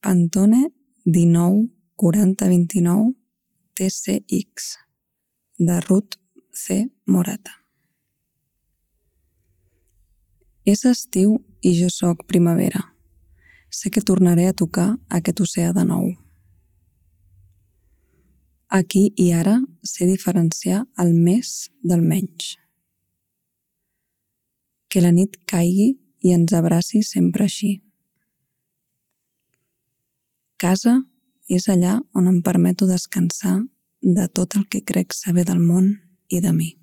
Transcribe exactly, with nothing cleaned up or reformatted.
Antone dinou quaranta vint-i-nou T C X de Ruth C. Morata. És estiu i jo sóc primavera. Sé que tornaré a tocar aquest oceà de nou. Aquí i ara sé diferenciar el més del menys. Que la nit caigui i ens abraci sempre així. Casa és allà on em permeto descansar de tot el que crec saber del món i de mi.